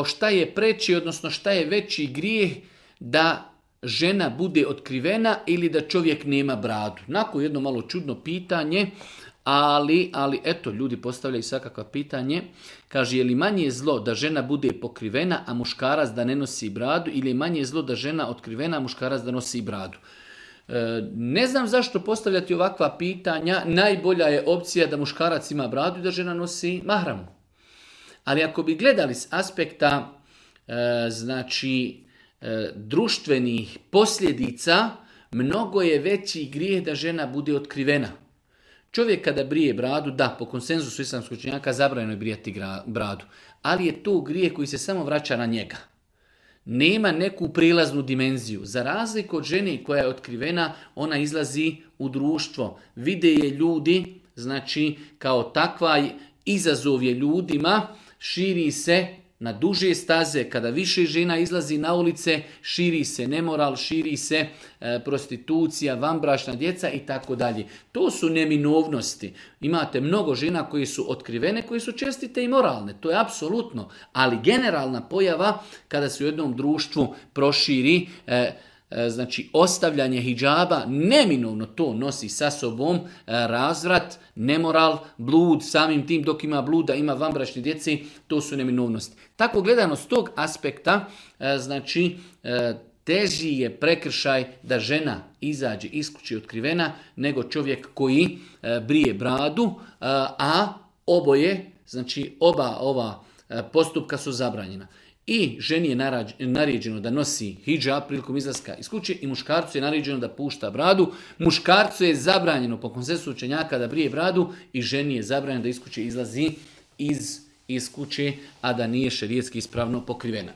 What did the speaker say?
šta je preći, odnosno šta je veći grijeh da žena bude otkrivena ili da čovjek nema bradu. Nakon jedno malo čudno pitanje, ali eto, ljudi postavljaju svakakva pitanje. Kaže, je li manje zlo da žena bude pokrivena, a muškarac da ne nosi bradu, ili je manje zlo da žena otkrivena, a muškarac da nosi bradu? Ne znam zašto postavljati ovakva pitanja. Najbolja je opcija da muškarac ima bradu i da žena nosi mahramu. Ali ako bi gledali s aspekta društvenih posljedica, mnogo je veći grijeh da žena bude otkrivena. Čovjek kada brije bradu, da, po konsenzusu islamskog učenjaka zabranjeno je brijati bradu, ali je to grijeh koji se samo vraća na njega. Nema neku prilaznu dimenziju. Za razliku od žene koja je otkrivena, ona izlazi u društvo. Vide je ljudi, znači kao takva izazov je ljudima, širi se na duže staze, kada više žena izlazi na ulice, širi se nemoral, širi se prostitucija, vanbračna djeca i tako dalje. To su neminovnosti. Imate mnogo žena koji su otkrivene, koji su čestite i moralne. To je apsolutno. Ali generalna pojava kada se u jednom društvu proširi ostavljanje hidžaba, neminovno to nosi sa sobom razvrat, nemoral, blud, samim tim dok ima bluda, ima vanbračne djece, to su neminovnosti. Tako gledano s tog aspekta, teži je prekršaj da žena izađe iz kuće otkrivena nego čovjek koji brije bradu, a oba ova postupka su zabranjena. I ženi je naređeno da nosi hidžab prilikom izlaska iz kuće i muškarcu je naređeno da pušta bradu. Muškarcu je zabranjeno po konsenzusu učenjaka da brije bradu i ženi je zabranjeno da iz kuće izlazi iz kuće, a da nije šerijetski ispravno pokrivena.